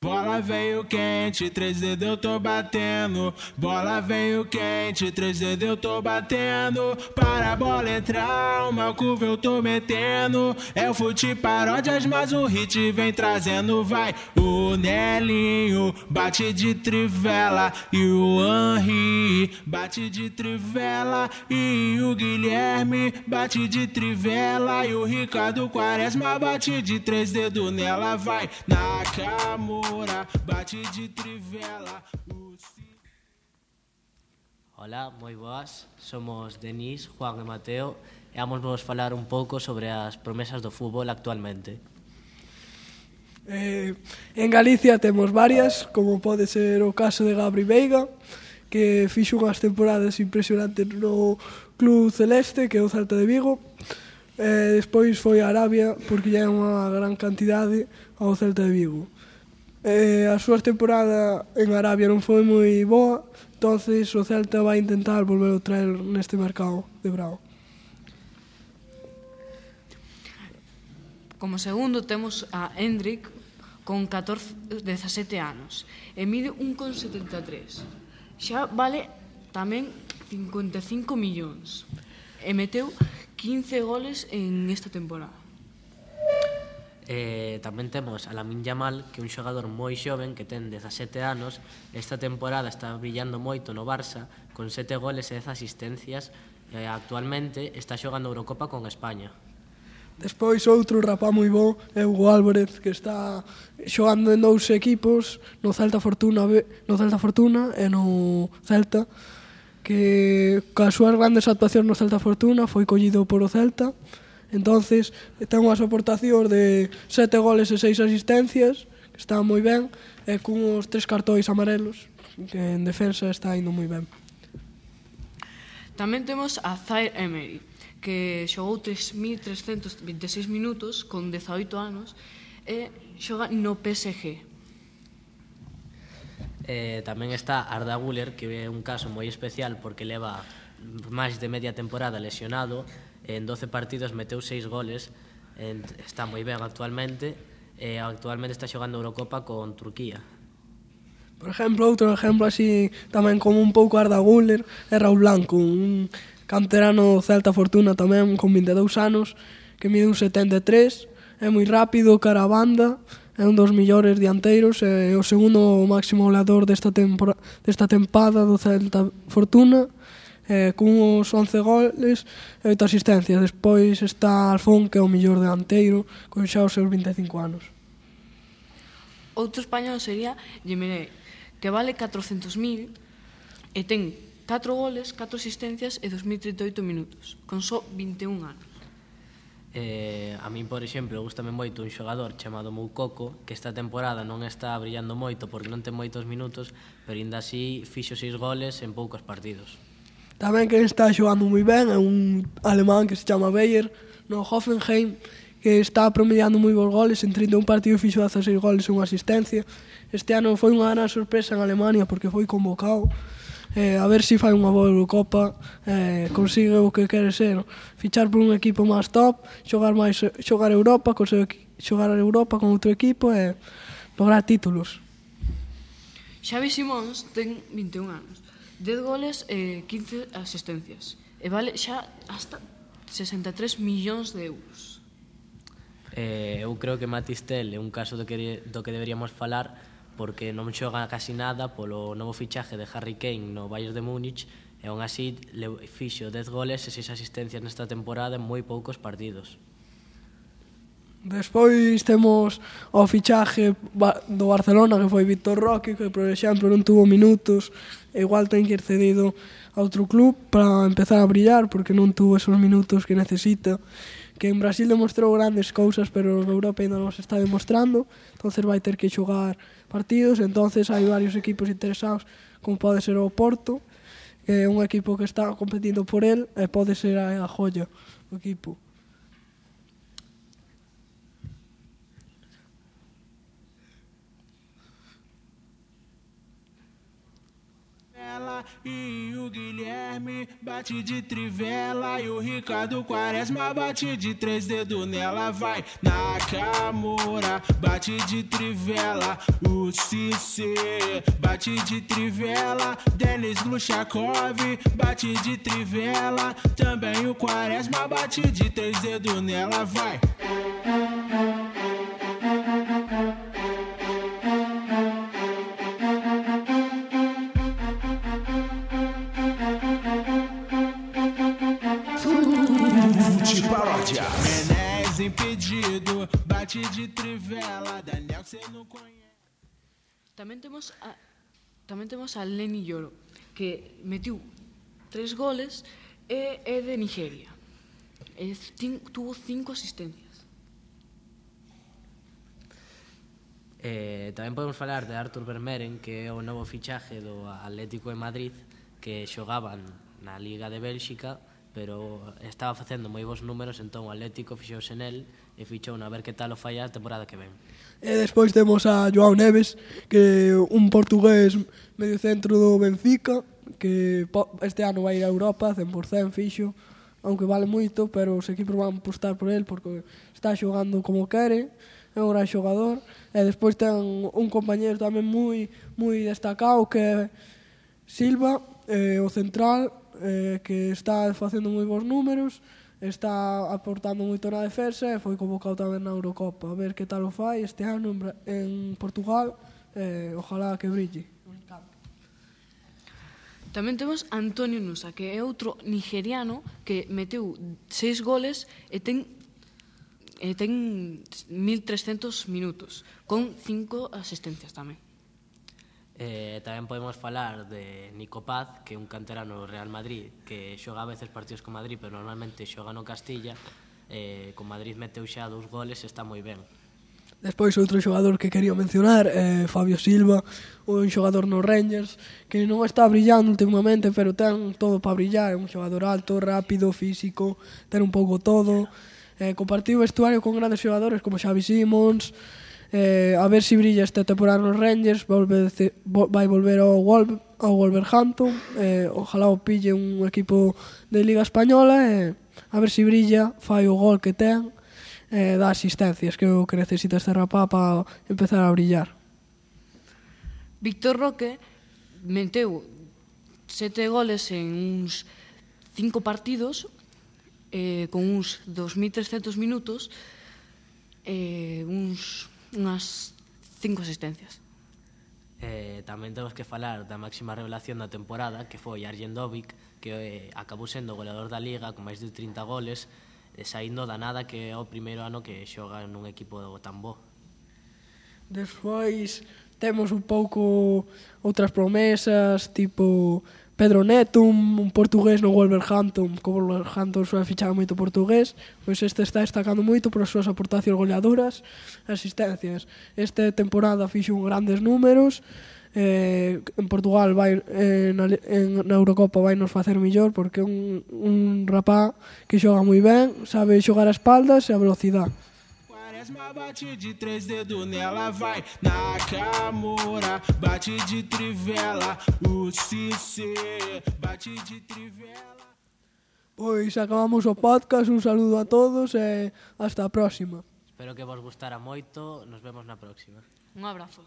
Bola veio quente, 3 dedos eu tô batendo. Bola veio quente, 3 dedos eu tô batendo. Para a bola entrar, uma curva eu tô metendo. É o fute paródias, mas o hit vem trazendo. Vai, o Nelinho bate de trivela e o Henry bate de trivela e o Guilherme bate de trivela e o Ricardo Quaresma bate de 3 dedos nela. Vai, Nakamura bate de trivela. Hola, moi boas. Somos Denis, Juan e Mateo e vamos vos falar un pouco sobre as promesas do fútbol actualmente. En Galicia temos varias, como pode ser o caso de Gabri Veiga, que fixo unhas temporadas impresionantes no Club Celeste, que é o Celta de Vigo. Despois foi a Arabia, porque lle é unha gran cantidade ao Celta de Vigo. A súa temporada en Arabia non foi moi boa, entonces o Celta vai intentar volver a traer neste mercado de verão. Como segundo temos a Hendrik con 17 anos e mide 1,73. Xa vale tamén 55 millóns e meteu 15 goles en esta temporada. Tamén temos a Lamine Yamal, que é un xogador moi xoven que ten 17 anos. Esta temporada está brillando moito no Barça con 7 goles e 10 asistencias e actualmente está xogando a Eurocopa con España. Despois outro rapaz moi bo é Hugo Álvarez, que está xogando en 2 equipos, no Celta Fortuna e no Celta, que coas súas grandes actuacións no Celta Fortuna foi collido por o Celta. Entonces ten unhas aportacións de 7 goles e 6 asistencias, que está moi ben, e cunhos 3 cartóis amarelos, que en defensa está indo moi ben. Tamén temos a Zaire Emery, que xogou 3.326 minutos con 18 anos e xoga no PSG. Tamén está Arda Güler, que é un caso moi especial porque leva máis de media temporada lesionado. En 12 partidos meteu 6 goles, está moi ben actualmente e actualmente está xogando Eurocopa con Turquía. Por exemplo, outro exemplo así tamén como un pouco Arda Güler é Raúl Blanco, un canterano Celta Fortuna tamén con 22 anos, que mide un 73, é moi rápido, cara a banda, é un dos millores dianteiros, é o segundo máximo goleador desta tempada do Celta Fortuna, cun uns 11 goles e 8 asistencias. Despois está Alfón, que é o millor delanteiro, con xa os seus 25 anos. Outro español sería Yemerey, que vale 400.000 e ten 4 goles, 4 asistencias e 2038 minutos, con só 21 anos. A min, por exemplo, gustame moito un xogador chamado Moukoko, que esta temporada non está brillando moito porque non ten moitos minutos, pero ainda así fixo 6 goles en poucos partidos. Tamén que está xogando moi ben é un alemán que se chama Bayer no Hoffenheim, que está promediando moi bons goles, en 31 partidos fixo 16 goles e unha asistencia. Este ano foi unha gran sorpresa en Alemania porque foi convocado, a ver se fai unha boa Eurocopa, consigue o que quere ser, fichar por un equipo máis top, xogar Europa con outro equipo e lograr títulos. Xavi Simóns ten 21 anos, 10 goles e 15 asistencias e vale xa hasta 63 millóns de euros. Eu creo que Matistel é un caso do que deberíamos falar porque non xoga casi nada polo novo fichaje de Harry Kane no Bayern de Múnich e aún así fixo 10 goles e 6 asistencias nesta temporada en moi poucos partidos. Despois temos o fichaje do Barcelona, que foi Víctor Roque, que por exemplo non tuvo minutos e igual ten que ir cedido a outro club para empezar a brillar porque non tuvo esos minutos que necesita, que en Brasil demostrou grandes cousas pero en Europa ainda non se está demostrando, entonces vai ter que xogar partidos. Entonces hai varios equipos interesados, como pode ser o Porto, que é un equipo que está competindo por el e pode ser a joya do equipo. e o Guilherme bate de trivela. E o Ricardo Quaresma bate de 3 dedos nela. Vai Nakamura, bate de trivela. O Cissé bate de trivela. Denis Gluchakov bate de trivela. Também o Quaresma bate de 3 dedos nela. Vai. Paródia. Menés impedido, bate de trivela. Daniel que cê não conhece. Tamén temos a Lenny Yoro, que metiu 3 goles e é de Nigeria. Tuvo 5 asistencias. Tamén podemos falar de Artur Vermeeren, que é o novo fichaje do Atlético de Madrid, que xogaban na Liga de Bélxica, pero estaba facendo moi bons números, entón o Atlético fixouse nel e fichou a ver que tal o fai a temporada que ven. E despois temos a Joao Neves, que é un portugués medio centro do Benfica, que este ano vai ir a Europa, 100% fixo, aunque vale moito, pero os equipos van apostar por el porque está xogando como quere, é un gran xogador. E despois ten un compañero tamén moi destacado, que é Silva, o central, que está facendo moi bons números, está aportando moito na defensa e foi convocado tamén na Eurocopa. A ver que tal o fai este ano en Portugal, ojalá que brille. Tamén temos Antonio Nusa, que é outro nigeriano que meteu 6 goles e ten 1.300 minutos, con 5 asistencias tamén. Tamén podemos falar de Nico Paz, que é un canterano do Real Madrid, que xoga a veces partidos con Madrid, pero normalmente xoga no Castilla. Con Madrid meteu xa 2 goles e está moi ben. Despois outro xogador que quería mencionar é Fabio Silva, un xogador no Rangers que non está brillando últimamente, pero ten todo para brillar. É un xogador alto, rápido, físico, ten un pouco todo. Compartiu vestuario con grandes xogadores como Xavi Simons. A ver se brilla esta temporada nos Rangers, vai volver ao Wolverhampton. Ojalá o pille un equipo de Liga Española e a ver se brilla, fai o gol que ten, dá asistencias, que é o que necesita este rapaz para empezar a brillar. Víctor Roque meteu 7 goles en uns 5 partidos, con uns 2.300 minutos e unhas 5 asistencias. Tamén temos que falar da máxima revelación da temporada, que foi Arjen Dovic, que acabou sendo goleador da Liga con máis de 30 goles, saindo da nada, que é o primeiro ano que xoga nun equipo tan bo. Despois temos un pouco outras promesas, tipo Pedro Neto, un portugués no Wolverhampton, que o Wolverhampton suele fichar moito portugués, pois este está destacando moito por as súas aportacións goleadoras, asistencias. Esta temporada fixo grandes números, en Portugal vai na Eurocopa vai nos facer mellor, porque é un rapaz que xoga moi ben, sabe xogar a espaldas e a velocidade. Quaresma bate de 3 dedos nela, vai Nakamura, bate de trivela. O Cissé bate de trivela. Pois acabamos o podcast, un saludo a todos e hasta a próxima. Espero que vos gustara moito, nos vemos na próxima. Un abrazo.